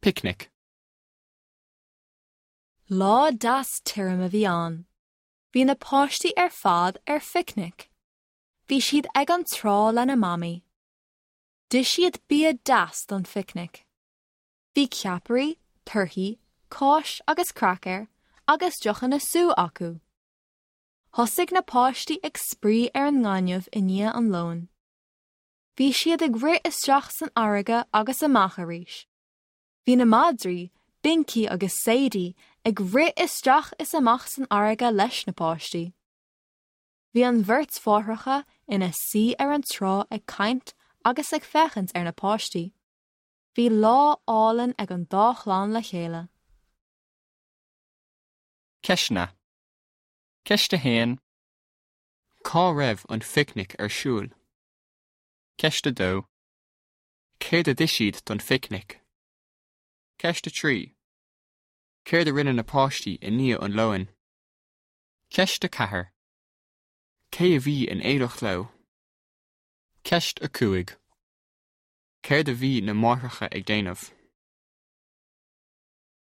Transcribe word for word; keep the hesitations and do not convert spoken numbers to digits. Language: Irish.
Picnic. Lá deas tirim a bhí ann. Bhí na páistí ar fad ar phicnic. Bhí siad ag an trá lena mamaí. D'ith siad bia deas don phicnic. Bhí ceapairí, torthaí, cáis agus craicéir agus deochanna sú acu. Thosaigh na páistí ag spraoi ar an ngaineamh i ndiaidh an lóin. Bhí siad ag rith isteach san fharraige agus amach arís. Bhí na madraí, Binky agus Sadie ag rith isteach is amach san fharraige leis na páistí. Bhí an bheirt mháithreacha ina suí ar an trá ag caint agus ag féachaint ar na páistí. Bhí lá álainn ag an dá chlann le chéile. Ceisteanna. Ceist a haon. Cá raibh an phicnic ar siúl? Ceist a dó. Céard a d'ith siad don phicnic? Ceist a trí. Céard a rinne na páistí i ndiaidh an lóin? Ceist a ceathair. Cé a bhí in éineacht leo? Ceist a cúig. Céard a bhí na máithreacha ag déanamh?